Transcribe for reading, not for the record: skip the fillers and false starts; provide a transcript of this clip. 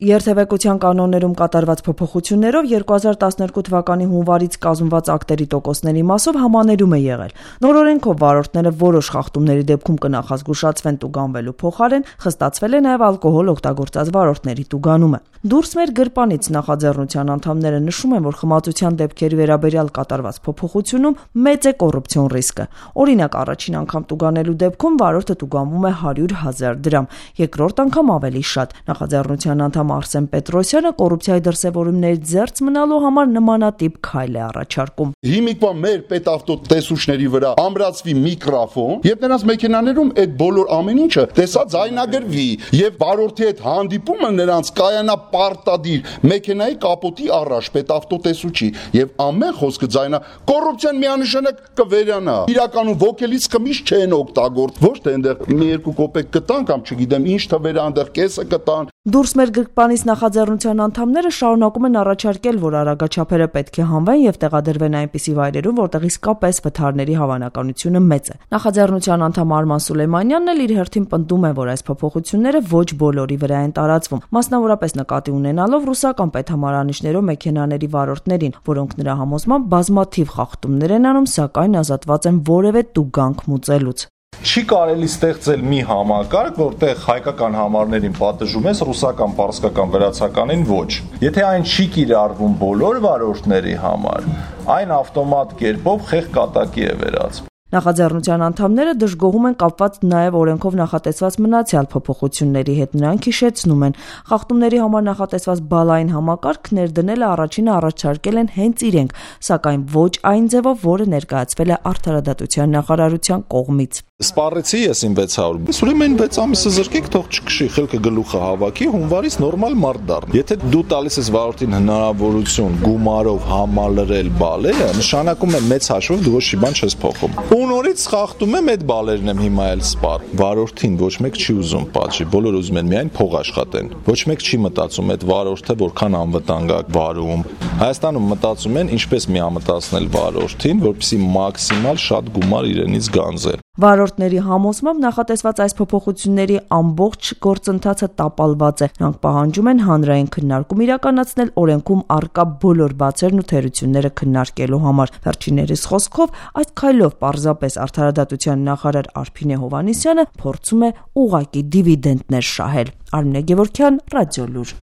Երթևեկության կանոններում կատարված փոփոխություններով 2012 թվականի հունվարից կազմված ակտերի տոկոսների մասով համաներում է եղել։ Նոր օրենքով վարորդները որոշ խախտումների դեպքում կնախազգուշացվեն տուգանվելու փոխարեն խստացվել է նաև ալկոհոլ օգտագործած վարորդների տուգանումը։ Դուրս մեր գրպանից նախաձեռնության անդամները նշում են, որ խմացության դեպքերի վերաբերյալ կատարված փոփոխությունում մեծ է կոռուպցիոն ռիսկը։ Օրինակ, առաջին անգամ տուգանելու դեպքում վարորդը տուգանվում է 100,000 դրամ, երկրորդ անգամ ավելի շատ։ Նախաձեռնության անդամ Արսեն Պետրոսյանը կոռուպցիայի դրսևորումներից զերծ մնալու համար նմանատիպ քայլ է առաջարկում։ Հիմիկվա մեր պետավտո տեսուչների վրա ամրացվի միկրոֆոն, եւ նրանց մեքենաներում այդ բոլոր ամեն ինչը տեսա ձայնագրվի, եւ վարորդի հետ հանդիպումը նրանց կայանա պարտադիր մեքենայի կապոտի առաջ պետավտո տեսուչի, եւ ամեն խոսքը ձայնա կոռուպցիան միանշանակ կվերանա։ Իրականում ոգելից խմիչ չեն օգտագործ, ոչ թե այնտեղ մի երկու կոպեկ կտան կամ չգիտեմ ինչ թվեր այնտեղ կեսը կտան։ Դուրս մեր գրպանից նախաձեռնության անդամները շարունակում են առաջարկել, որ արագաչափերը պետք է հանվեն եւ տեղադրվեն այնպիսի վայրերում, որտեղ իսկապես վթարների հավանականությունը մեծ է։ Նախաձեռնության անդամ Արման Սուլեյմանյանն էլ իր հերթին պնդում է, որ այս փոփոխությունները ոչ բոլորի վրա են տարածվում, մասնավորապես նկատի ունենալով ռուսական պետհամարանիշներով մեքենաների վարորդներին, որոնք նրա համոզմամբ բազմաթիվ խախտումներ են անում, սակայն ազատված են որևէ տուգանք մուծելուց։ Չի կարելի ստեղծել մի համակարգ, որտեղ հայկական համարներին պատժում ես, ռուսական, պարսկական, վրացականին ոչ։ Եթե այն չի կիրառվում բոլոր վարորդների համար, այն ավտոմատ կերպով խեղ կատակի է վերածվում։ Նախաձեռնության անդամները դժգոհում են կապված նաև օրենքով նախատեսված մնացյալ փոփոխությունների հետ։ Նրանք հիշեցնում են, խախտումների համար նախատեսված բալային համակարգ ներդնելը առաջինը առաջարկել են հենց իրենք, սակայն ոչ այն ձևով, որը ներկայացվել է Արդարադատության նախարարության կողմից։ Սպառեցի ես իմ 600, ուրեմն 6 ամիսը զրկեք, թող չքշի, խելքը գլուխը հավաքի, հունվարից նորմալ մարդ դառնա։ Եթե դու տալիս ես վարորդին հնարավորություն գումարով համալրել բալերը, նշանակում է մեծ հաշվով դու ոչ մի բան չես փոխում։ ու նորից խախտում եմ այդ բալերն եմ հիմա էլ սպառ։ Վարորդին ոչ մեկ չի ուզում պատժի, բոլորը ուզում են միայն փող աշխատեն։ Ոչ մեկ չի մտածում այդ վարորդը որքան անվտանգ է վարում։ Հայաստանում մտածում են ինչպես միամտացնել վարորդին, որպեսզի մաքսիմալ շատ գումար իրենից գանձեն։ Վարորդների համոզմամբ նախատեսված այս փոփոխությունների ամբողջ գործընթացը տապալված է։ Նրանք պահանջում են հանրային քննարկում իրականացնել օրենքում առկա բոլոր բացերն ու թերությունները քննարկելու համար։ Վերջիններիս խոսքով, այս քայլով պարզապես Արդարադատության նախարար Արփինե Հովհաննիսյանը փորձում է ուղղակի դիվիդենտներ շահել։ Արմինե Գևորգյան, Ռադիոլուր։